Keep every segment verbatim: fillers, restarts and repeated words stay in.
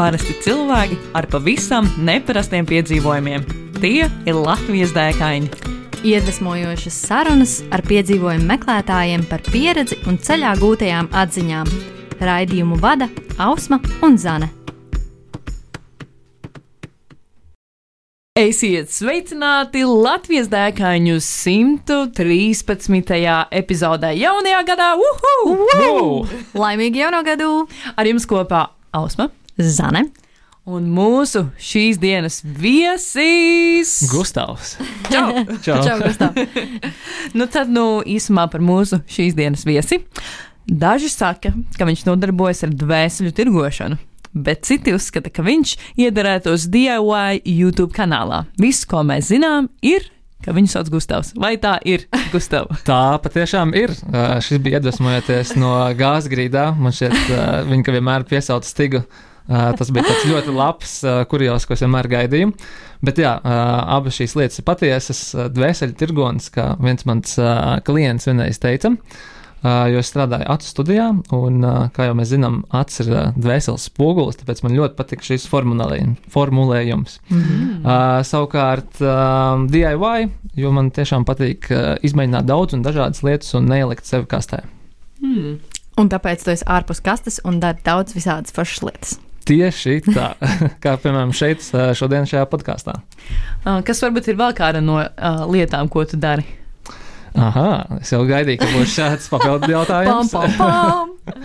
Parasti cilvēki ar pavisam neparastiem piedzīvojumiem. Tie ir Latvijas dēkaini. Iedvesmojošas sarunas ar piedzīvojumu meklētājiem par pieredzi un ceļā gūtajām atziņām. Raidījumu vada Ausma un Zane. Esiet sveicināti Latvijas dēkaņu simt trīspadsmitajā epizodē jaunajā gadā. Uhu! Uhu! Laimīgi jauno gadu! Ar jums kopā Ausma, Zane un mūsu šīs dienas viesis Gustavs. Čau! Čau. Čau, Gustav! Nu tad, nu, īsumā par mūsu šīs dienas viesi. Daži saka, ka viņš nodarbojas ar dvēseļu tirgošanu, bet citi uzskata, ka viņš iederētos D I Y YouTube kanālā. Viss, ko mēs zinām, ir, ka viņu sauc Gustavs. Vai tā ir, Gustav? Tā patiešām ir. Uh, šis bija iedvesmojoties no Gāzgrīdā. Man šķiet, uh, viņa ka vienmēr piesauca Stigu. Uh, tas bija tāds ļoti labs uh, kurios, ko es vienmēr gaidīju. Bet jā, uh, abas šīs lietas ir patiesas. Dvēseļu tirgonis, kā viens mans uh, klients vienreiz teica. Uh, jo es strādāju acu studijā, un, uh, kā jau mēs zinām, acis ir uh, dvēseles spogulis, tāpēc man ļoti patika šis formulējums. Mm-hmm. Uh, savukārt uh, D I Y, jo man tiešām patīk uh, izmēģināt daudz un dažādas lietas un neielikt sevi kastē. Hmm. Un tāpēc tu esi ārpus kastes un dari daudz visādas foršas lietas. Tieši tā, kā piemēram šeit, šodien šajā podkāstā. Uh, kas varbūt ir vēl kāda no uh, lietām, ko tu dari? Aha, es jau gaidīju, ka būs šāds papildu jautājums. Pam, pam, pam.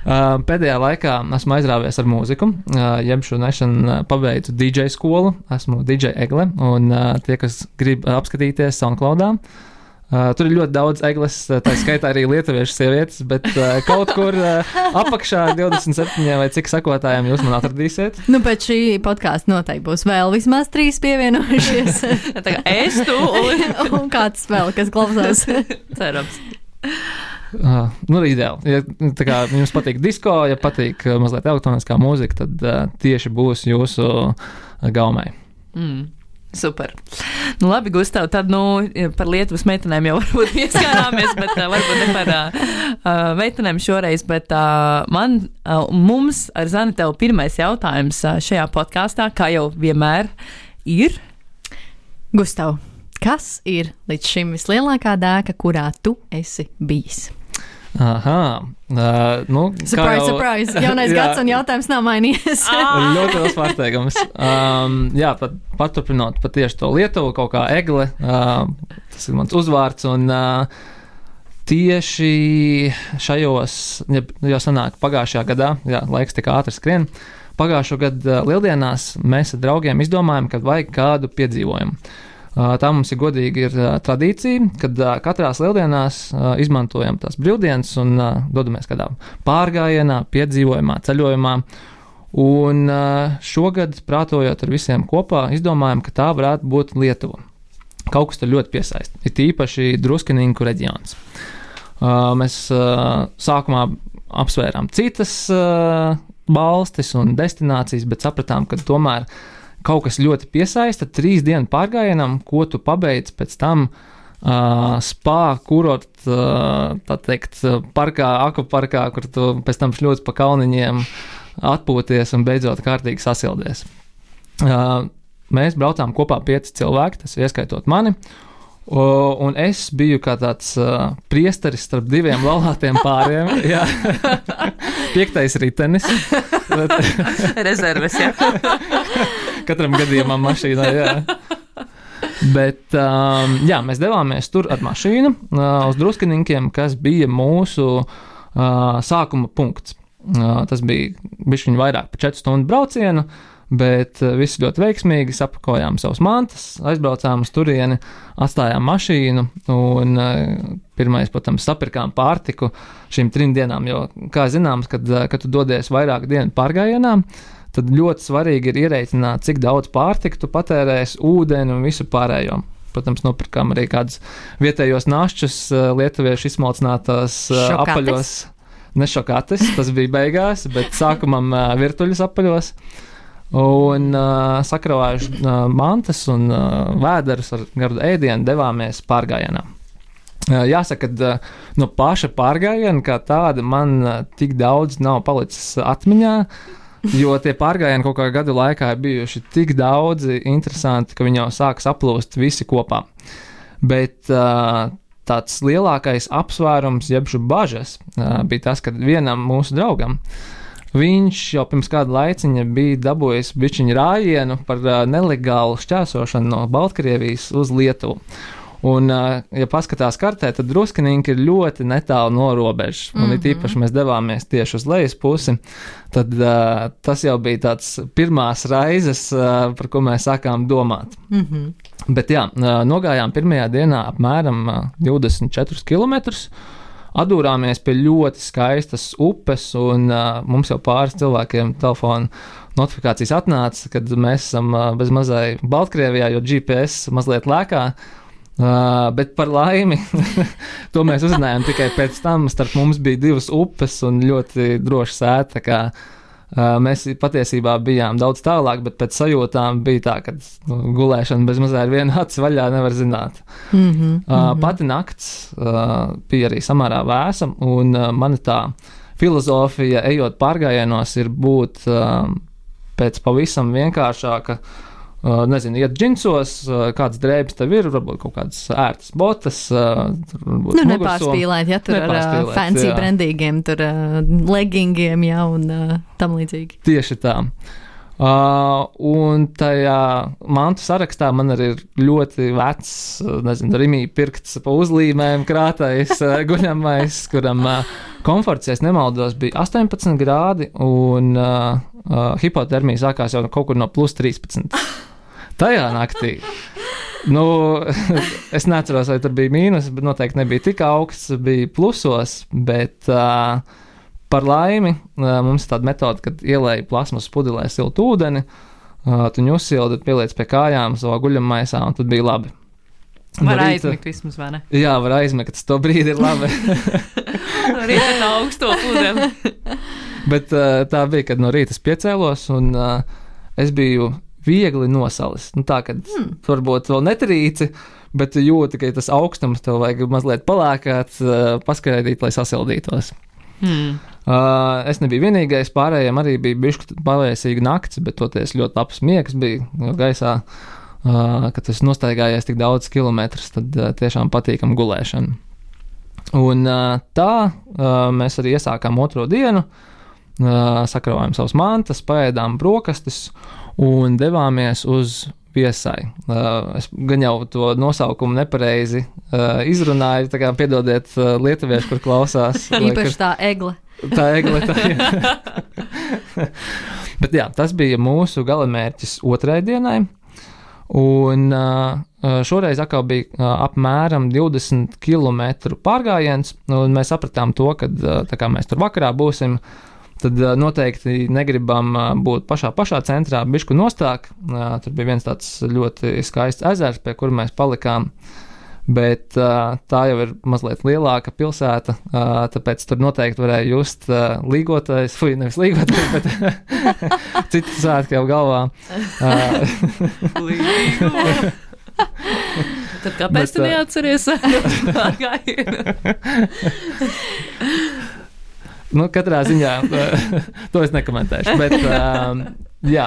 uh, pēdējā laikā esmu aizrāvies ar mūziku, uh, jeb šo nešanu pabeidzu D J skolu, esmu D J Egle, un uh, tie, kas grib apskatīties SoundCloudā, Uh, tur ir ļoti daudz egles, tā skaitā arī lietuviešu sievietes, bet uh, kaut kur uh, apakšā divdesmit septiņi vai cik sakotājiem jūs man atradīsiet. Nu, pēc šī podkāsta noteikti būs vēl vismaz trīs pievienojušies. Tā kā es tu un, un kāds vēl, kas klausās. Cerams. Uh, nu, ideāli. Ja tā kā jums patīk disko, ja patīk uh, mazliet elektroniskā mūzika, tad uh, tieši būs jūsu uh, gaumē. Mm. Super. Nu, labi, Gustav, tad nu, par Lietuvas meitenēm jau varbūt pieskārāmies, bet uh, varbūt ne par uh, meitenēm šoreiz, bet uh, man, uh, mums ar Zani tev pirmais jautājums uh, šajā podkāstā, kā jau vienmēr, ir. Gustav, kas ir līdz šim vislielākā dēka, kurā tu esi bijis? Aha, uh, nu, surprise, jau, surprise, jaunais gads un jautājums nav mainījies. Ļoti liels pārsteigums. Um, jā, pat, paturpinot pat tieši to Lietuvu, kaut kā Egle, uh, tas ir mans uzvārds, un uh, tieši šajos, ja, jau sanāk pagājušajā gadā, jā, laiks tik ātri skrien, pagājušo gadu uh, lieldienās mēs ar draugiem izdomājam, ka vajag kādu piedzīvojumu. Tā mums ir godīgi ir tradīcija, kad katrās lieldienās izmantojam tās brīvdienas un dodamies kādā pārgājienā, piedzīvojumā, ceļojumā. Un šogad, prātojot ar visiem kopā, izdomājam, ka tā varētu būt Lietuva. Kaut kas tur ļoti piesaist. Ir tīpaši Druskiniņku reģions. Mēs sākumā apsvērām citas valstis un destinācijas, bet sapratām, ka tomēr kaut kas ļoti piesaista trīs dienu pārgājienam, ko tu pabeidz pēc tam uh, spā, kurort, uh, tā teikt, parkā, akvaparkā, kur tu pēc tam šļūts pa kalniņiem, atpūties un beidzot kārtīgi sasildies. Uh, mēs braucām kopā pieci cilvēki, tas ieskaitot mani, uh, un es biju kā tāds uh, priesteris starp diviem laulātiem pāriem. Jā. Piektais ritenis. Bet... Rezerves, jā. Katram gadījumam mašīnā, jā. Bet, um, jā, mēs devāmies tur ar mašīnu uh, uz Druskininkiem, kas bija mūsu uh, sākuma punkts. Uh, tas bija bišķiņ vairāk par četru stundu braucienu, bet uh, viss ļoti veiksmīgi, sapakojām savus mantas, aizbraucām uz turieni, atstājām mašīnu un uh, pirmais, protams, sapirkām pārtiku šīm trim dienām, jo, kā zināms, kad, uh, kad tu dodies vairāk dienu pārgājienā, tad ļoti svarīgi ir ierēķināt, cik daudz pārtika tu patērēsi, ūdeni un visu pārējo. Protams, nopirkām arī kādus vietējos našķus, lietuviešu izsmalcinātās apaļos. Ne šokates, tas bija beigās, bet sākumam virtuļus apaļos. Un uh, sakravājuši uh, mantas un uh, vēderus ar gardu ēdienu devāmies pārgājienā. Uh, jāsaka, ka uh, no paša pārgājiena kā tāda man uh, tik daudz nav palicis atmiņā. Jo tie pārgājieni kaut kā gadu laikā ir bijuši tik daudzi interesanti, ka viņi jau sāk saplūst visi kopā. Bet uh, tāds lielākais apsvērums, jebšu bažas, uh, bija tas, ka vienam mūsu draugam viņš jau pirms kāda laiciņa bija dabūjis bišķiņu rājienu par uh, nelegālu šķērsošanu no Baltkrievijas uz Lietuvu. Un, ja paskatās kartē, tad Druskinīnki ir ļoti netālu no robežas. Un, mm-hmm. it īpaši mēs devāmies tieši uz lejas pusi, tad uh, tas jau bija tāds pirmās raizes, uh, par ko mēs sākām domāt. Mm-hmm. Bet jā, uh, nogājām pirmajā dienā apmēram uh, divdesmit četrus kilometrus, atdūrāmies pie ļoti skaistas upes, un uh, mums jau pāris cilvēkiem telefona notifikācijas atnāca, kad mēs esam uh, bez mazai Baltkrievijā, jo G P S mazliet lēkā. Uh, bet par laimi, to mēs uzzinājām tikai pēc tam. Starp mums bija divas upes un ļoti droša sēta, kā uh, mēs patiesībā bijām daudz tālāk, bet pēc sajūtām bija tā, ka nu, gulēšana bez mazā ar vienu aci vaļā nevar zināt. Mm-hmm, uh, mm-hmm. Pati nakts uh, bija arī samērā vēsa, un uh, mana tā filozofija, ejot pārgājienos, ir būt uh, pēc pavisam vienkāršāka. Uh, nezinu, iet džinsos, uh, kāds drēbes tev ir, varbūt kaut kādas ērtas botas. Uh, nu, nepārspīlēt, ja tur ar uh, fancy jā. brandīgiem, tur uh, leggingiem, jā, un uh, tam līdzīgi. Tieši tā. Uh, un tajā mantu sarakstā man arī ir ļoti vecs, nezinu, rimī pirkts pa uzlīmēm krātais uh, guļamais, kuram uh, komforts, ja es nemaldos, bija astoņpadsmit grādi, un uh, uh, hipotermija sākās jau kaut kur no plus trīspadsmit. Tajā naktī, nu, es neatceros, vai tur bija mīnus, bet noteikti nebija tik augsts, bija plusos, bet uh, par laimi uh, mums ir tāda metode, kad ielēja plasmas pudelē siltu ūdeni, uh, tu viņu uzsildi, pieliec pie kājām savā guļammaisā, un tad bija labi. Var aizmigt vismaz, vai ne? Jā, var aizmigt, tas to brīdi ir labi. Var iet no augsto pudeli. Bet uh, tā bija, kad no rīta es piecēlos, un uh, es biju viegli nosalis. Nu, tā, ka hmm. varbūt vēl netrīci, bet jūti, ka tas augstums tev vajag mazliet palēkāt, paskaidīt, lai sasildītos. Hmm. Uh, es nebiju vienīgais, pārējiem arī bija bišķi pavēsīga nakts, bet toties ļoti labs miegs bija gaisā, uh, kad es nostaigājies tik daudz kilometrus, tad uh, tiešām patīkam gulēšana. Un uh, tā uh, mēs arī iesākām otro dienu, uh, sakravājām savas mantas, paēdām brokastis, un devāmies uz Viesai. Uh, es gan jau to nosaukumu nepareizi uh, izrunāju, tā kā piedodiet uh, lietuvieši, kur klausās. Īpaši tā egle. Tā egle, tā jā. Bet jā, tas bija mūsu galamērķis otrai dienai, un uh, šoreiz atkal bija uh, apmēram divdesmit kilometru pārgājiens, un mēs sapratām to, ka uh, tā kā mēs tur vakarā būsim, tad uh, noteikti negribam uh, būt pašā pašā centrā, bišku nostāk. Uh, tur bija viens tāds ļoti skaists ezers, pie kura mēs palikām, bet uh, tā jau ir mazliet lielāka pilsēta, uh, tāpēc tur noteikti varēja just uh, līgotais, fuj, nevis līgotais, bet citu svētku jau galvā. Uh, Tad kāpēc bet, tu neatceries pārgājienu? Nu, katrā ziņā to es nekomentēšu, bet um, jā,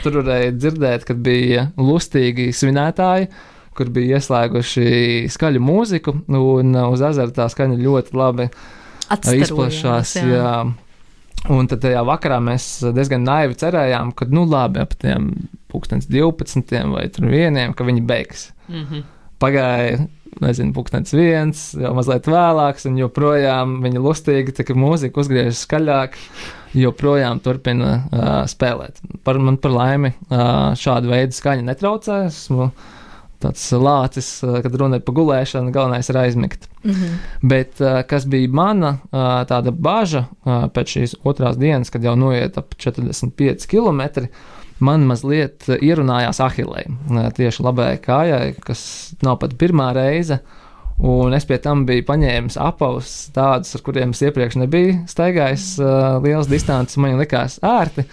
tur varēja dzirdēt, kad bija lustīgi svinētāji, kur bija ieslēguši skaļu mūziku, un uz ezera tā skaņa ļoti labi izplašās. Jā. Jā. Un tad tajā vakarā mēs diezgan naivi cerējām, ka, nu labi, ap tiem pulkstens divpadsmitiem vai tur vieniem, ka viņi beigs. Mm-hmm. Pagāja, nezinu, pulkstens viens, jau mazliet vēlāks, un joprojām viņi lustīgi, tā kā mūzika uzgriežas skaļāk, joprojām turpina uh, spēlēt. Par, man par laimi uh, šādu veidu skaņa netraucē, esmu tāds lācis, uh, kad runa ir pa gulēšanu, galvenais ir aizmigt. Mm-hmm. Bet uh, kas bija mana uh, tāda baža uh, pēc šīs otrās dienas, kad jau noiet ap četrdesmit pieci kilometri, man mazliet ierunājās ahilei, tieši labējai kājai, kas nav pat pirmā reize, un es pie tam biju paņēmis apavus tādus, ar kuriem es iepriekš nebiju staigājis uh, liels distances, man likās ērti,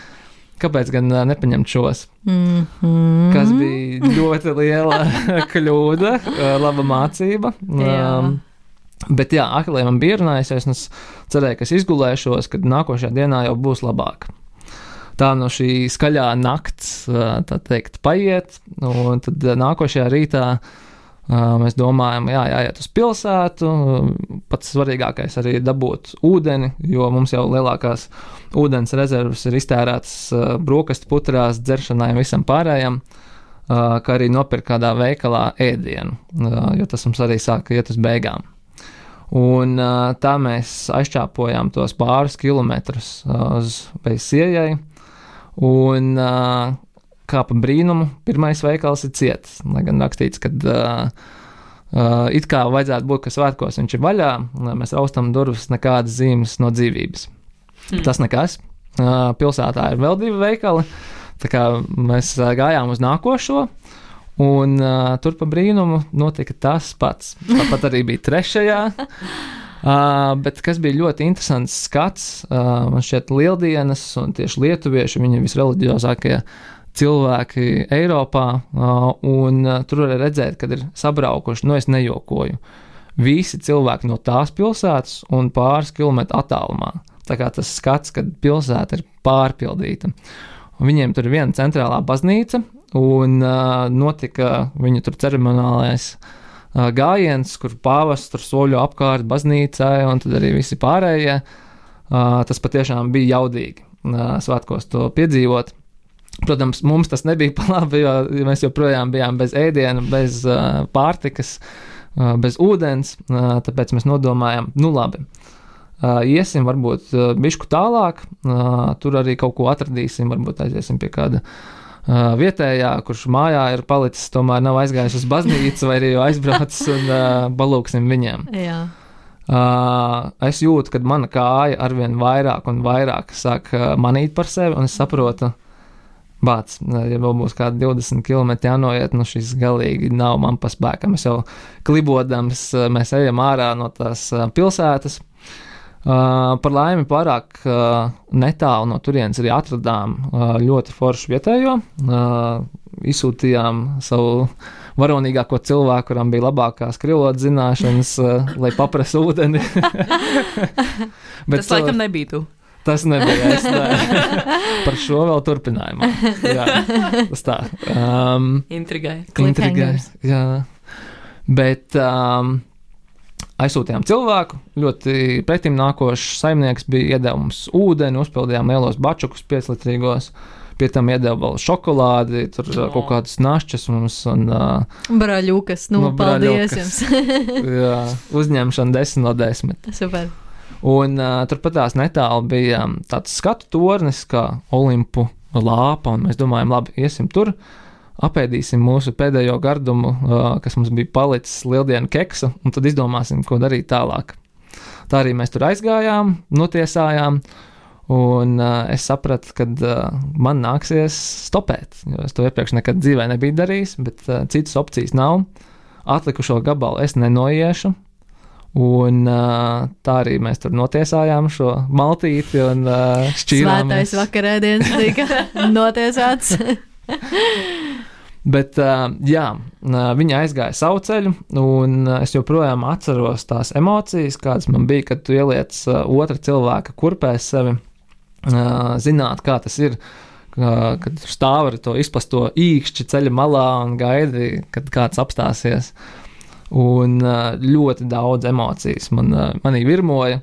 kāpēc gan uh, nepaņemt šos, mm-hmm. kas bija ļoti liela kļūda, uh, laba mācība. Um, bet jā, ahilei man bija ierunājusies, un es cerēju, ka es izgulēšos, kad nākošajā dienā jau būs labāk. tā no šī skaļā nakts, tā teikt, paiet, un tad nākošajā rītā mēs domājam, jā, jāiet uz pilsētu, pats svarīgākais arī dabūt ūdeni, jo mums jau lielākās ūdens rezervas ir iztērētas brokastu putrās, dzeršanai un visam pārējam, kā arī nopirkt kādā veikalā ēdienu, jo tas mums arī sāka iet uz beigām. Un tā mēs aizčāpojām tos pāris kilometrus uz Veisiejai, un kā pa brīnumu, pirmais veikals ir ciets, lai gan rakstīts, ka uh, uh, it kā vajadzētu būt, ka svētkos viņš ir vaļā, mēs raustam durvis, nekādas zīmes no dzīvības. Mm. Tas nekas. Uh, pilsētā ir vēl divi veikali, tā kā mēs uh, gājām uz nākošo, un uh, tur pa brīnumu notika tas pats. Tāpat arī bija trešajā, uh, bet kas bija ļoti interesants skats, uh, man šķiet Lieldienas un tieši lietuvieši, viņi visreliģiozākie cilvēki Eiropā, un tur var redzēt, kad ir sabraukuši, nu es nejokoju, visi cilvēki no tās pilsētas un pāris kilometru attālumā. Tā kā tas skats, kad pilsēta ir pārpildīta. Un viņiem tur ir viena centrālā baznīca, un uh, notika viņu tur ceremoniālais uh, gājiens, kur pāvests tur soļo apkārt baznīcai, un tad arī visi pārējie. Uh, tas patiešām bija jaudīgi uh, svētkos to piedzīvot. Protams, mums tas nebija pa labi, jo mēs joprojām bijām bez ēdiena, bez uh, pārtikas, uh, bez ūdens, uh, tāpēc mēs nodomājam, nu labi, uh, iesim varbūt uh, bišku tālāk, uh, tur arī kaut ko atradīsim, varbūt aiziesim pie kāda uh, vietējā, kurš mājā ir palicis, tomēr nav aizgājis uz baznīcu vai arī aizbraucis un uh, balūksim viņiem. Jā. Uh, es jūtu, ka mana kāja arvien vairāk un vairāk sāk uh, manīt par sevi, un es saprotu, bāc, ja vēl būs kādi divdesmit kilometri jānoiet, nu šis galīgi nav man pa spēkam. Es jau klibodams, mēs ejam ārā no tās pilsētas. Uh, par laimi pārāk uh, netālu no turienes arī atradām uh, ļoti foršu vietējo. Uh, izsūtījām savu varonīgāko cilvēku, kuram bija labākās krievlodas zināšanas, uh, lai paprasa ūdeni. Bet tas laikam nebija tu. Tas nebija es. Par šo vēl turpinājumā. Jā, tas tā. Um, Intrigai. Intrigai, jā. Bet um, aizsūtījām cilvēku, ļoti pretim nākošs saimnieks bija iedeva mums ūdeni, uzpildījām lielos bačukus pieclitrīgos, pie tam iedeva vēl šokolādi, tur oh. kaut kādas našķas mums un... Uh, Braļukas, nu, no paldies jums. Jā, uzņemšana desmit no desmit. Super. Un uh, turpat tās netālu bija um, tāds skatu tornis, kā Olimpu lāpa, un mēs domājam, labi, iesim tur, apēdīsim mūsu pēdējo gardumu, uh, kas mums bija palicis lieldienu keksu, un tad izdomāsim, ko darīt tālāk. Tā arī mēs tur aizgājām, notiesājām, un uh, es sapratu, ka uh, man nāksies stopēt, jo es to iepriekš nekad dzīvē nebiju darījis, bet uh, citas opcijas nav. Atlikušo gabalu es nenoiešu. Un uh, tā arī mēs tur notiesājām šo maltīti un uh, šķīrāmies. Svētais vakarēdienas tika notiesāts. Bet, uh, jā, viņi aizgāja savu ceļu, un es joprojām atceros tās emocijas, kādas man bija, kad tu ieliec uh, otra cilvēka kurpēs sevi, uh, zināt, kā tas ir, uh, kad stāv ar to izplasto īkšķi ceļa malā un gaidi, kad kāds apstāsies. Un ļoti daudz emocijas man, manī virmoja,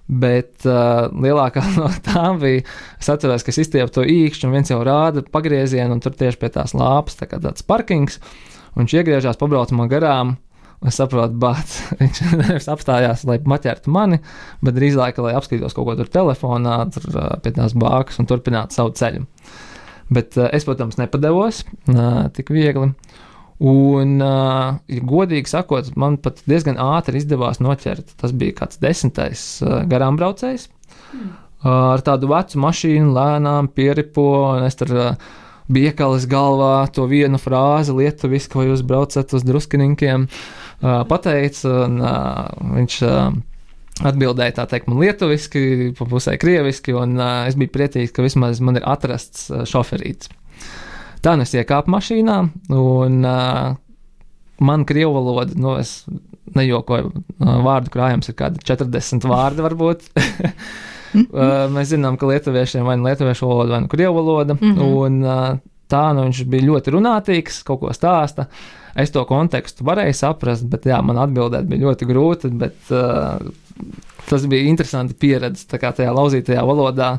bet uh, lielākā no tām bija, es atceros, ka es izstiepu to īkšķi un viens jau rāda pagriezienu un tur tieši pie tās lāpas, tā kā tāds parkings, un viņš iegriežās, pabrauc man garām, un es saprotu, bāc, viņš nevis apstājās, lai maķertu mani, bet drīzāk, lai apskatītos kaut ko tur telefonā, tur uh, pie tās bākas un turpinātu savu ceļu. Bet uh, es, protams, nepadevos uh, tik viegli. Un, uh, ja godīgi sakot, man pat diezgan ātri izdevās noķert. Tas bija kāds desmitais uh, garām braucējs. Mm. Uh, ar tādu vecu mašīnu lēnām pieripo, un es tur uh, bija iekalis galvā to vienu frāzi lietuviski, vai jūs braucat uz Druskininkiem, uh, pateica, un uh, viņš uh, atbildēja tā teikt man lietuviski, pa pusē krieviski, un uh, es biju priecīgs, ka vismaz man ir atrasts uh, šoferīts. Tā nu es iekāpu mašīnā, un uh, man krievu valoda, nu es nejokoju, uh, vārdu krājums ir kādi četrdesmit vārdi varbūt. uh, mēs zinām, ka lietuviešiem vai nu lietuviešu valoda, vai nu krievu valoda, mm-hmm. un uh, tā, nu viņš bija ļoti runātīgs, kaut ko stāsta. Es to kontekstu varēju saprast, bet jā, man atbildēt bija ļoti grūti, bet uh, tas bija interesanti pieredze, tā kā tajā lauzītajā valodā.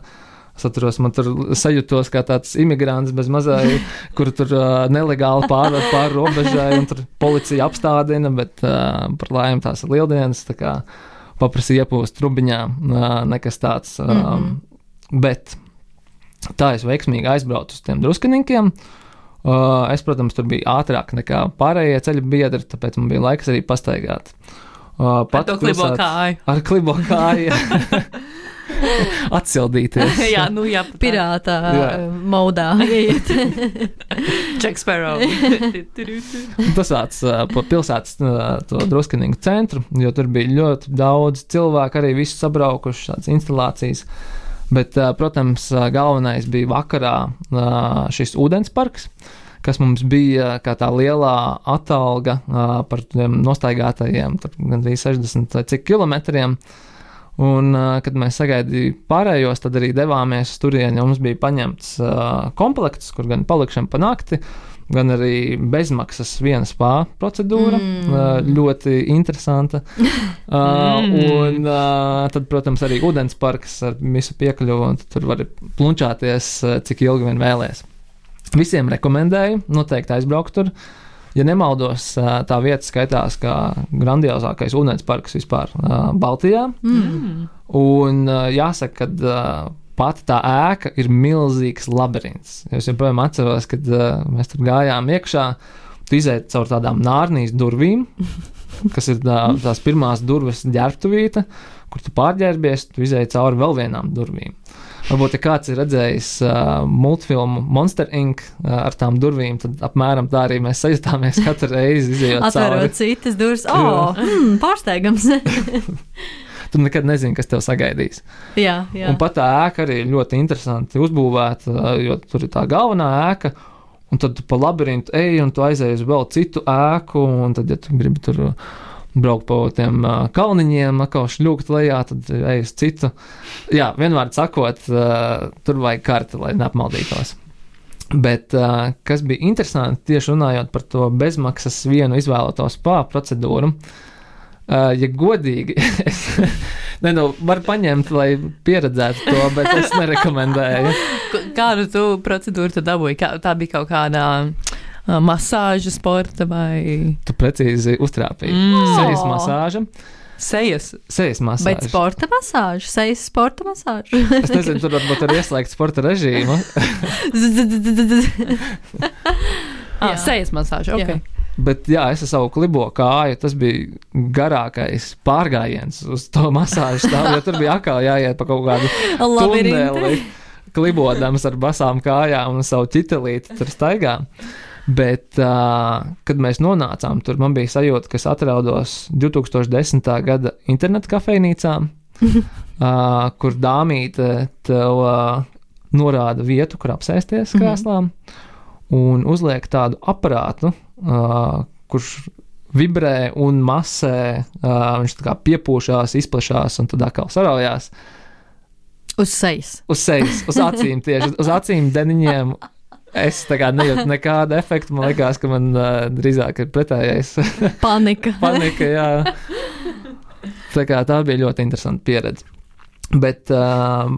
Es atceros, man tur sajūtos kā tāds imigrants bez mazai, kur tur uh, nelegāli pārvar pār robežai, un tur policija apstādina, bet uh, par laimi tās ir lieldienas, tā kā paprasīja iepūst trubiņā, uh, nekas tāds. Uh, mm-hmm. Bet tā es veiksmīgi aizbraucu uz tiem Druskiniņiem. Uh, es, protams, tur biju ātrāk nekā pārējie ceļa biedri, tāpēc man bija laiks arī pastaigāt. Uh, ar to klibo kāju. Ar klibo kāju. Atsildīties. jā, nu jā. Pirātā jā. Modā. Jack Sparrow. Tas vārds pa pilsētas to Druskiniņu centru, jo tur bija ļoti daudz cilvēku, arī visi sabraukuši šādas instalācijas. Bet, protams, galvenais bija vakarā šis ūdensparks, kas mums bija kā tā lielā atalga par tiem nostaigātajiem, tur gandrīz sešdesmit vai cik kilometriem. Un, kad mēs sagaidījām pārējos, tad arī devāmies uz turieni, jo mums bija paņemts uh, komplekts, kur gan palikšana pa nakti, gan arī bezmaksas viena spā procedūra, mm. uh, ļoti interesanta. Uh, mm. Un uh, tad, protams, arī ūdensparks ar visu piekļuvu, un tur var plunčāties, uh, cik ilgi vien vēlies. Visiem rekomendēju, noteikti aizbraukt tur. Ja nemaldos, tā vieta skaitās kā grandiozākais ūdensparks vispār Baltijā. Mm. Un jāsaka, ka pati tā ēka ir milzīgs labirints. Es joprojām atceros, kad mēs tur gājām iekšā, tu izēji caur tādām nārnijas durvīm, kas ir tā, tās pirmās durvis ģērbtuvīte, kur tu pārģērbies, tu izēji cauri vēl vienām durvīm. Varbūt, ja kāds ir redzējis uh, multfilmu Monster incorporated uh, ar tām durvīm, tad apmēram tā arī mēs sajutāmies katru reizi izējot cauri. Atverot citas durvis, o, oh, mm, pārsteigams. Tu nekad nezini, kas tev sagaidīs. Jā, jā. Un pat tā ēka arī ļoti interesanti uzbūvēta, jo tur ir tā galvenā ēka, un tad tu pa labirintu ej, un tu aizēji uz vēl citu ēku, un tad, ja tu gribi tur braukt pa tiem uh, kalniņiem, atkal šļūkt lejā, tad ej uz citu. Jā, vienvārds sakot, uh, tur vajag karti, lai neapmaldītos. Bet, uh, kas bija interesanti, tieši runājot par to bezmaksas vienu izvēlēto spā procedūru, uh, ja godīgi, es ne, nu, var paņemt, lai pieredzētu to, bet es nerekomendēju. Kādu tu procedūru tu dabūji? Kā, tā bija kaut kādā masāža sporta vai... Tu precīzi uztrāpīji. Mm. Sejas masāža. Sejas? Sejas masāža. Bet sporta masāža? Sejas sporta masāža? Es nezinu, tur varbūt ir ieslēgt sporta režīmu. ah, sejas masāža, ok. Jā. Bet jā, es ar savu klibo kāju, tas bija garākais pārgājiens uz to masāžu stāvu, jo tur bija atkal jāiet pa kaut kādu tuneli, klibodams ar basām kājām un savu ķitelīti tur staigā. Bet, uh, kad mēs nonācām tur, man bija sajūta, ka es atraudos divi tūkstoši desmitā gada internetu kafejnīcā, uh, kur dāmīte tev uh, norāda vietu, kur apsēsties krēslām, un uzliek tādu aparātu, uh, kurš vibrē un masē, uh, viņš tā kā piepūšās, izplešās un tad atkal saraujās. Uz sejas. Uz sejas, uz acīm tieši, uz acīm deniņiem. Es tā kā nejūtu nekādu efektu, man liekas, ka man uh, drīzāk ir pretējais. Panika. Panika, jā. Tā kā tā bija ļoti interesanta pieredze. Bet uh,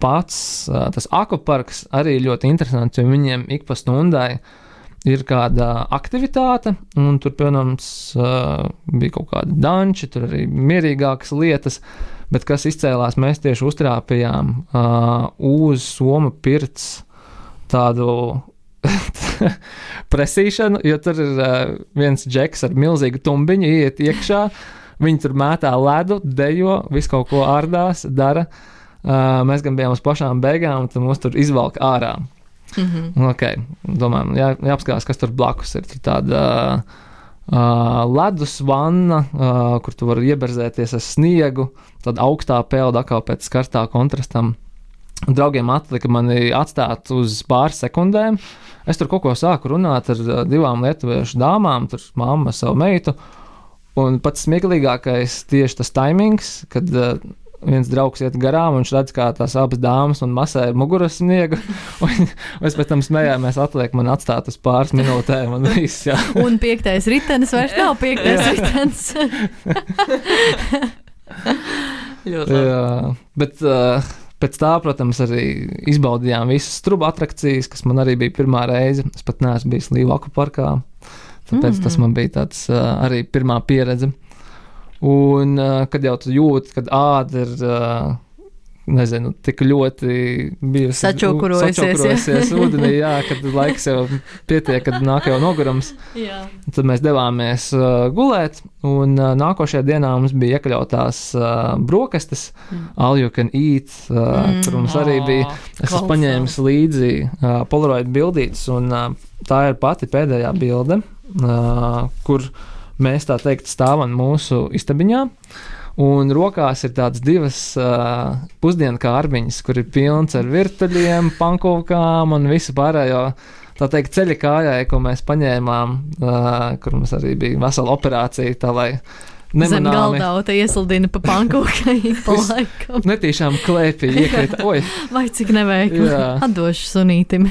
pats uh, tas akvaparks arī ļoti interesants, jo viņiem ik pa stundai ir kāda aktivitāte, un tur, piemēram, uh, bija kaut kādi danči, tur arī mierīgākas lietas, bet kas izcēlās, mēs tieši uztrāpījām uh, uz Soma pirts tādu presīšanu, jo tur ir uh, viens džeks ar milzīgu tumbiņu, iet iekšā, viņi tur mētā ledu, dejo, visu kaut ko ārdās, dara. Uh, mēs gan bijām uz pašām beigām, un tad mūs tur izvalk ārā. Mm-hmm. Ok, domājam, jā, jāapskatās, kas tur blakus ir. Tur tāda uh, ledus vanna, uh, kur tu vari ieberzēties ar sniegu, tad augstā pelda atkal pēc skarstā kontrastam. Draugiem atlika mani atstāt uz pāris sekundēm. Es tur kaut ko sāku runāt ar divām lietuviešu dāmām, tur mamma savu meitu, un pats smieklīgākais tieši tas taimings, kad uh, viens draugs iet garām, un viņš redz, kā tās abas dāmas un masēja muguras sniegu, un mēs pēc tam smējāmies, atliek man atstāt uz pāris minūtēm, un viss, jā. Un piektais ritenis vairs nav piektais ritenis. Ļoti labi. Jā, bet uh, pēc tā, protams, arī izbaudījām visas strubu atrakcijas, kas man arī bija pirmā reize. Es pat neesmu bijis Līvu akvaparkā, tāpēc mm. tas man bija tāds uh, arī pirmā pieredze. Un uh, kad jau tu jūti, kad āda ir, uh, nezinu, tik ļoti bijusi sačokurojusies, sačokurojusies ūdenī, jā, kad laiks jau pietiek, kad nāk jau nogurums. Jā. Tad mēs devāmies uh, gulēt, un uh, nākošajā dienā mums bija iekļautās uh, brokastis, mm. all you can eat, uh, mm. kur mums arī bija. Es esmu paņēmis līdzi uh, Polaroid bildītes, un uh, tā ir pati pēdējā bilde, uh, kur mēs tā teikt stāvam mūsu istabiņā. Un rokās ir tādas divas uh, pusdienu kārbiņas, kur ir pilns ar virtuļiem, pankūkām un visu pārējo, tā teikt, ceļa kājai, ko mēs paņēmām, uh, kur mums arī bija vesela operācija, tā lai nemanāmi. Zem galdauta ieslidina pa pankūkai pa laikam. Netīšām klēpī iekrita, oj. Vai cik neveikli, atdošu sunītim.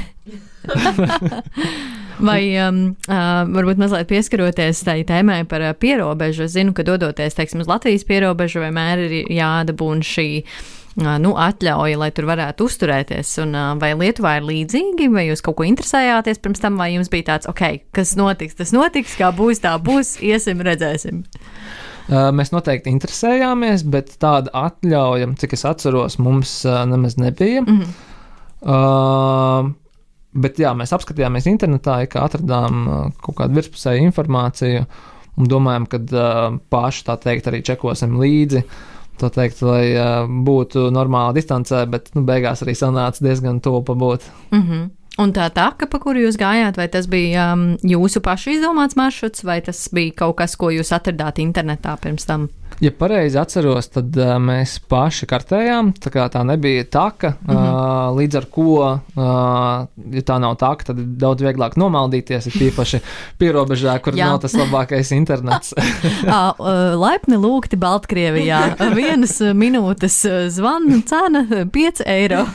Vai um, uh, varbūt mazliet pieskaroties tai tēmai par uh, pierobežu. Es zinu, ka dodoties, teiksim, uz Latvijas pierobežu vienmēr ir jādabūna šī uh, nu, atļauja, lai tur varētu uzturēties. Un, uh, vai Lietuvā ir līdzīgi, vai jūs kaut ko interesējāties pirms tam, vai jums bija tāds, ok, kas notiks, tas notiks, kā būs, tā būs, iesim, redzēsim. Uh, mēs noteikti interesējāmies, bet tāda atļauja, cik es atceros, mums uh, nemaz nebija. Mm-hmm. Uh, Bet jā, mēs apskatījāmies internetā, ka atradām uh, kaut kādu virspusēju informāciju un domājam, ka uh, paši tā teikt arī čekosim līdzi, tā teikt, lai uh, būtu normāla distancē, bet nu, beigās arī sanāca diezgan tuvu pabūt. Mhm. Un tā taka, pa kuru jūs gājāt, vai tas bija um, jūsu pašu izdomāts maršruts, vai tas bija kaut kas, ko jūs atradāt internetā pirms tam? Ja pareizi atceros, tad uh, mēs paši kartējām, tā kā tā nebija taka, mm-hmm. uh, līdz ar ko, uh, ja tā nav taka, tad ir daudz vieglāk nomaldīties, ir tīpaši pierobežā, kur nav tas labākais internets. uh, laipni lūgti Baltkrievijā, vienas minūtes zvanu cena pieci eiro.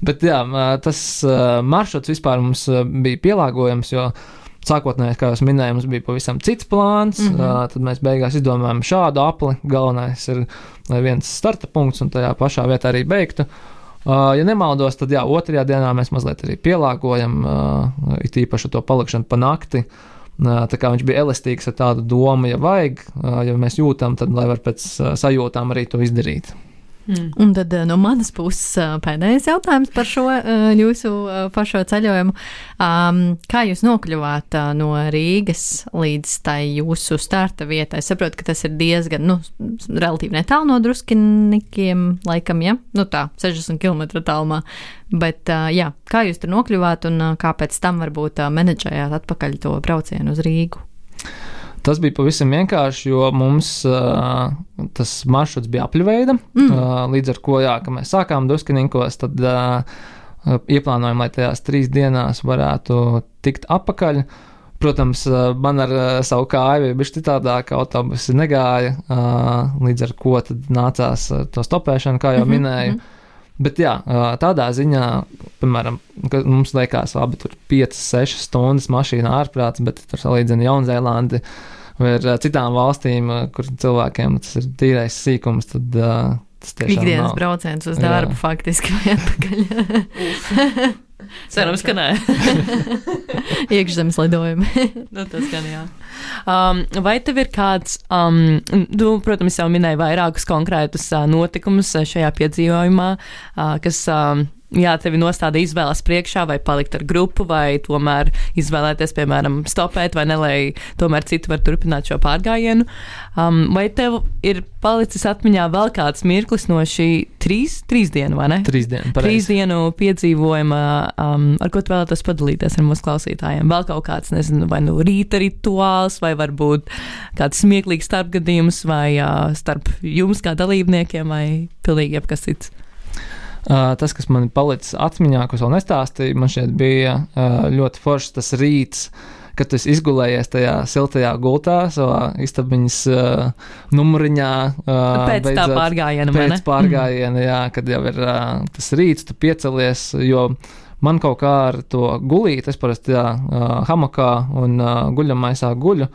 Bet jā, tas maršruts vispār mums bija pielāgojams, jo sākotnēji, kā jau minēju, mums bija pavisam cits plāns, mm-hmm. tad mēs beigās izdomājām šādu apli. Galvenais ir, lai viens starta punkts un tajā pašā vietā arī beigtu. Ja nemaldos, tad jā, otrajā dienā mēs mazliet arī pielāgojam, it īpaši to palikšanu pa nakti. Tā kā viņš bija elastīgs ar tādu domu, ja vajag, ja mēs jūtam, tad lai var pēc sajūtām arī to izdarīt. Mm. Un tad no manas puses pēdējais jautājums par šo jūsu pašo ceļojumu. Um, kā jūs nokļuvāt no Rīgas līdz tai jūsu starta vietai? Es saprotu, ka tas ir diezgan, nu, relatīvi netālu no Druskinikiem, laikam, ja? Nu tā, sešdesmit kilometru tālumā. Bet, jā, kā jūs tur nokļuvāt un kā pēc tam varbūt menedžējāt atpakaļ to braucienu uz Rīgu? Tas bija pavisam vienkārši, jo mums uh, tas maršruts bija apļveida, mm. uh, līdz ar ko, jā, ka mēs sākām Druskininkos, tad uh, ieplānojam, lai tajās trīs dienās varētu tikt apakaļ. Protams, uh, man ar uh, savu kāju bija bišķi citādāk, autobusi negāja, uh, līdz ar ko tad nācās uh, to stopēšanu, kā jau mm-hmm. minēju. Bet jā, uh, tādā ziņā, piemēram, ka mums liekas abi tur piecas, sešas stundas mašīnā ārprāts, bet tur salīdzina Jaunzēlandi vai ar citām valstīm, kur cilvēkiem tas ir tīrais sīkums, tad uh, tas tiešām ikdienas nav. Brauciens uz darbu, jā. Faktiski vai atpakaļ. Cerams, ka nē. Iekšzemes lidojumi. Nu, tas gan jā. Um, vai tev ir kāds, um, tu, protams, jau minēji vairākus konkrētus uh, notikumus šajā piedzīvojumā, uh, kas, um, jā, tevi nostāda izvēles priekšā, vai palikt ar grupu, vai tomēr izvēlēties, piemēram, stopēt, vai ne, lai tomēr citi var turpināt šo pārgājienu. Um, vai tev ir palicis atmiņā vēl kāds mirklis no šī trīs, trīs dienu, vai ne? Trīs dienu, pareizi. Trīs dienu piedzīvojuma, um, ar ko tu vēlētos padalīties ar mūsu klausītājiem? Vēl kaut kāds, nezinu, vai nu rīta rituāls, vai varbūt kāds smieklīgs starpgadījums, vai uh, starp jums kā dalībniekiem, vai pilnīgi jebkas cits? Uh, tas, kas man palicis atmiņā, ko es vēl nestāstīju, man šeit bija uh, ļoti foršs tas rīts, kad tu esi izgulējies tajā siltajā gultā, savā istabiņas uh, numuriņā. Uh, pēc beidzot, tā pārgājiena, vai ne? Pēc pārgājiena, mm. jā, kad jau ir uh, tas rīts, tu piecelies, jo man kaut kā ar to gulīt, es parasti jā, uh, hamakā un uh, guļamaisā guļu.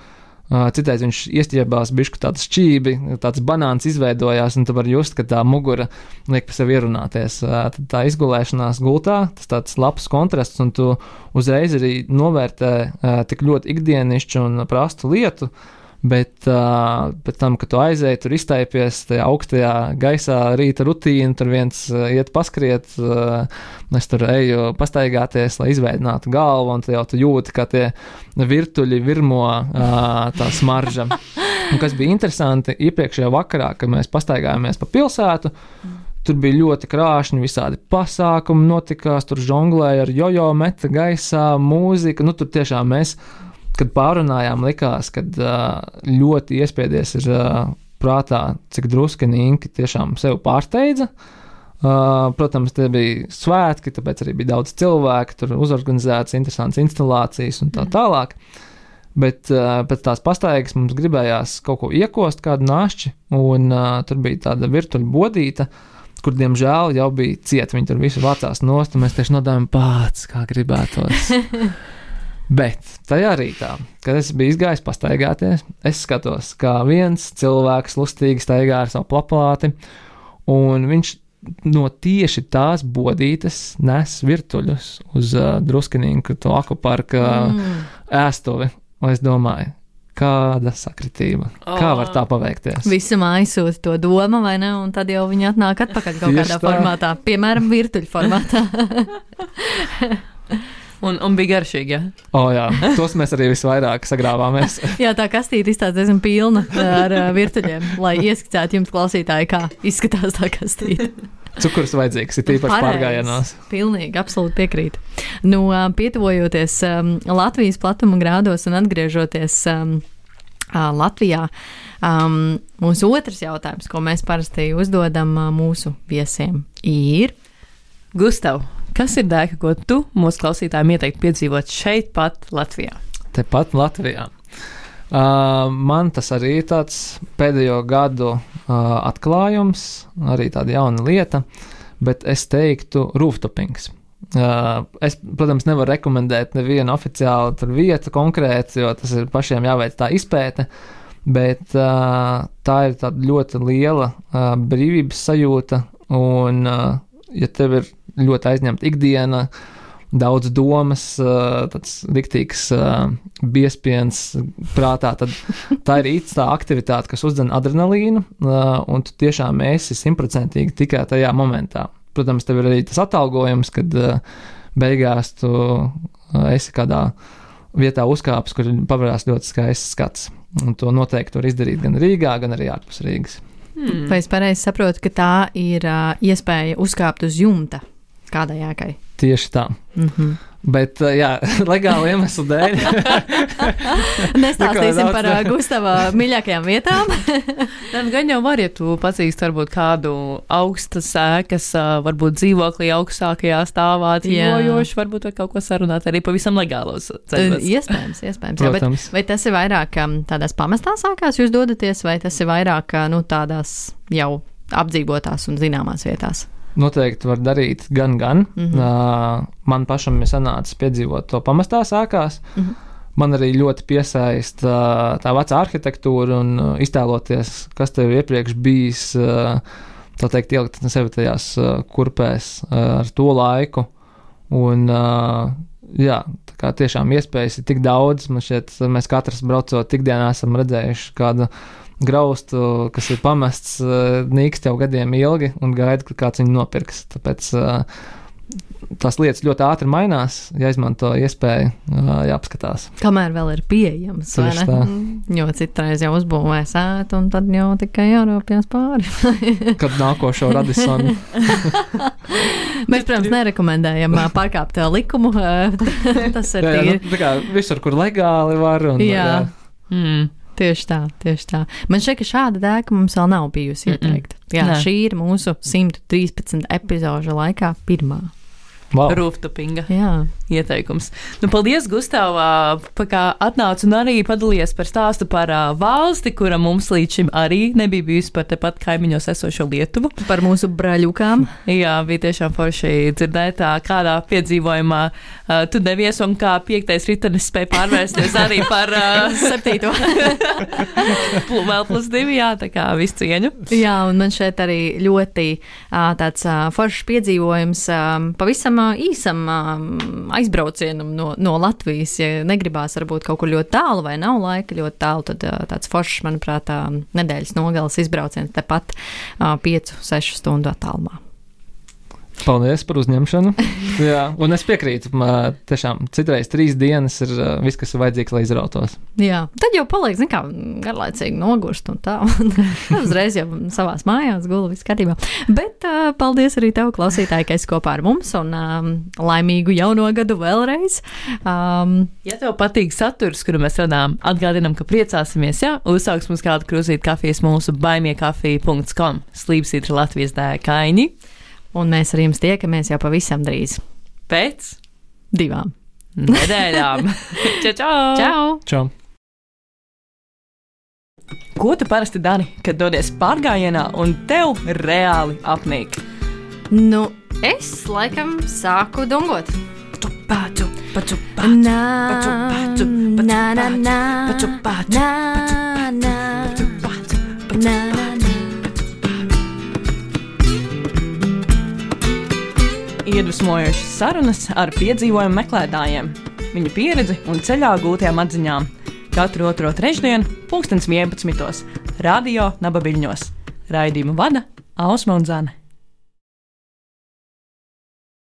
Uh, Citreiz viņš iestiebās bišku tāds šķībi, tāds banāns izveidojās, un tu vari just, ka tā mugura liek pa sevi ierunāties. Uh, tad tā izgulēšanās gultā, tas tāds labs kontrasts, un tu uzreiz arī novērtē uh, tik ļoti ikdienišķu un prastu lietu, bet uh, pēc tam, kad tu aizēji, tur iztaipies tajā augstajā gaisā rīta rutīna, tur viens uh, iet paskriet, uh, es tur eju pastaigāties, lai izveidinātu galvu, un tu jau tu jūti, kā tie virtuļi virmo uh, tā smarža. Un kas bija interesanti, iepriekšējā vakarā, kad mēs pastaigājāmies pa pilsētu, tur bija ļoti krāšņi, visādi pasākumi notikās, tur žonglēja ar jojo, meta gaisā, mūzika, nu tur tiešām mēs kad pārunājām, likās, kad uh, ļoti iespiedies ir uh, prātā, cik druskenīgi tiešām sev pārsteidza. Uh, protams, tie bija svētki, tāpēc arī bija daudz cilvēku, tur uzorganizētas interesantas instalācijas un tā tālāk. Bet uh, pēc tās pastaigas mums gribējās kaut ko iekost, kādu našķi, un uh, tur bija tāda virtuļu bodīta, kur, diemžēl, jau bija cieta. Viņi tur visu vācās nost, un mēs tieši nodājām pāc, kā gribētos. Bet tajā rītā, kad es biju izgājis pastaigāties, es skatos, kā viens cilvēks lustīgi staigā ar savu plapāti, un viņš no tieši tās bodītes nes virtuļus uz uh, druskenīgu to akvaparka mm. ēstuvi. Un es domāju, kāda sakritība, oh. kā var tā paveikties? Visam aizsūta to doma, vai ne? Un tad jau viņi atnāk atpakaļ kaut kādā tā. formātā, piemēram, virtuļu formātā. Un, un bija garšīgi, jā? O, jā, tos mēs arī visvairāk sagrāvāmies. Jā, tā kastīte izstāsta diezgan pilna ar uh, virtuļiem, lai ieskicētu jums klausītāji, kā izskatās tā kastīte. Cukurs vajadzīgs, ir tīpaši pārgājienās. Pilnīgi, absolūti piekrītu. Nu, uh, pietuvojoties um, Latvijas platuma grādos un atgriežoties um, uh, Latvijā, um, mūsu otrs jautājums, ko mēs parasti uzdodam uh, mūsu viesiem, ir... Gustav, kas ir dēka, ko tu mūsu klausītājiem ieteiktu piedzīvot šeit pat Latvijā? Tepat Latvijā. Uh, man tas arī ir tāds pēdējo gadu uh, atklājums, arī tāda jauna lieta, bet es teiktu rooftopings. Uh, es, protams, nevaru rekomendēt nevienu oficiālu tur vietu konkrēti, jo tas ir pašiem jāveic tā izpēte, bet uh, tā ir tāda ļoti liela uh, brīvības sajūta, un uh, ja tev ir ļoti aizņemta ikdiena, daudz domas, tāds riktīgs biespiens prātā, tad tā ir īsta aktivitāte, kas uzdzen adrenalīnu, un tu tiešām esi simtprocentīgi tikai tajā momentā. Protams, tev ir arī tas atalgojums, kad beigās tu esi kādā vietā uzkāpis, kur pavarās ļoti skaists skats. Un to noteikti var izdarīt gan Rīgā, gan arī ārpus Rīgas. Hmm. Vai es pareizi saprotu, ka tā ir uh, iespēja uzkāpt uz jumta kādai ēkai? Tieši tā. Mm-hmm. Bet, jā, legāli iemeslu dēļ. Nestāstīsim par uh, Gustava mīļākajām vietām. Tad gan jau var, ja tu pazīsti varbūt kādu augstas ēkas, uh, varbūt dzīvoklī augstākajā stāvā dzīvojoši, varbūt var kaut ko sarunāt arī pavisam legālos ceļos. Iespējams, iespējams. Jā, bet vai tas ir vairāk um, tādās pamestās ēkās jūs dodaties, vai tas ir vairāk uh, nu, tādās jau apdzīvotās un zināmās vietās? Noteikti var darīt gan, gan. Mm-hmm. Uh, man pašam ir sanācis piedzīvot to pamestās ēkās. Mm-hmm. Man arī ļoti piesaist uh, tā vecā arhitektūra un uh, iztēloties, kas tev iepriekš bijis, uh, tā teikt, ielikt sevi tajās uh, kurpēs uh, ar to laiku. Un, uh, jā, tā kā tiešām iespējas ir tik daudz. Man šķiet, mēs katrs braucot ikdienā esam redzējuši kādu graustu, kas ir pamests nīkst jau gadiem ilgi un gaida, ka kāds viņu nopirks. Tāpēc tās lietas ļoti ātri mainās, ja izmanto iespēju, jāapskatās. Kamēr vēl ir pieejams, vai ne? Tā. Jo citreiz jau uzbūvē sētu un tad jau tikai jārāpjas pāri. Kad nākošo Radisonu. Mēs, protams, nerekomendējam pārkāpt likumu. Tas ir jā, jā, nu, tā kā visur, kur legāli var. Un, jā. jā. Mm. Tieši tā, tieši tā. Man šķiet, ka šāda dēka mums vēl nav bijusi ieteikta. Jā, Nē. Šī ir mūsu simt trīspadsmit epizožu laikā pirmā. Wow. Rooftopinga. Jā. ieteikums. Nu, paldies, Gustav, ka atnāc un arī padalījies par stāstu par valsti, kura mums līdz šim arī nebija bijusi par tepat kaimiņos esošo Lietuvu. Par mūsu braļukām. Jā, bija tiešām forši dzirdēt, kādā piedzīvojumā uh, tu devies un kā piektais ritenis spēja pārvērsties arī par uh, septīto. Vēl plus divi, jā, tā kā visu cieņu. Jā, un man šeit arī ļoti uh, tāds uh, foršs piedzīvojums um, pavisam uh, īsam uh, aizbraucienam no, no Latvijas. Ja negribās varbūt kaut kur ļoti tālu vai nav laika ļoti tālu, tad uh, tāds foršs, manuprāt, uh, nedēļas nogalas izbrauciens tepat uh, piecu, sešu stundu attālumā. Paldies par uzņemšanu. Jā, un es piekrītu, man tiešām citreiz trīs dienas ir uh, viss, kas ir vajadzīgs, lai izrautos. Jā, tad jau paliek, zin kā, garlaicīgi nogurst un tā, un uzreiz jau savās mājās gula viss kārtībā. Bet uh, paldies arī tev, klausītāji, ka esi kopā ar mums, un um, laimīgu jauno gadu vēlreiz. Um, ja tev patīk saturs, kuru mēs radām, atgādinam, ka priecāsimies, ja uzsāks mums kādu krūzīt kafijas mūsu baimiekafija punkts com slīpsītra Latvijas dēkaini. Un mēs ar jums tiekamies jau pavisam drīz. Pēc divām nedēļām. Čau, čau! Čau! Čau! Ko tu parasti dari, kad dodies pārgājienā un tev reāli apnīk? Nu, es laikam sāku dungot. Paču, paču, paču, paču, paču, paču, paču, paču, paču, paču, paču, paču. Iedvesmojošas sarunas ar piedzīvojumu meklētājiem, viņu pieredzi un ceļā gūtajām atziņām. Katru otro trešdienu, pulkstens vienpadsmitos, radio Naba Viļņos. Raidījumu vada Ausma un Zane.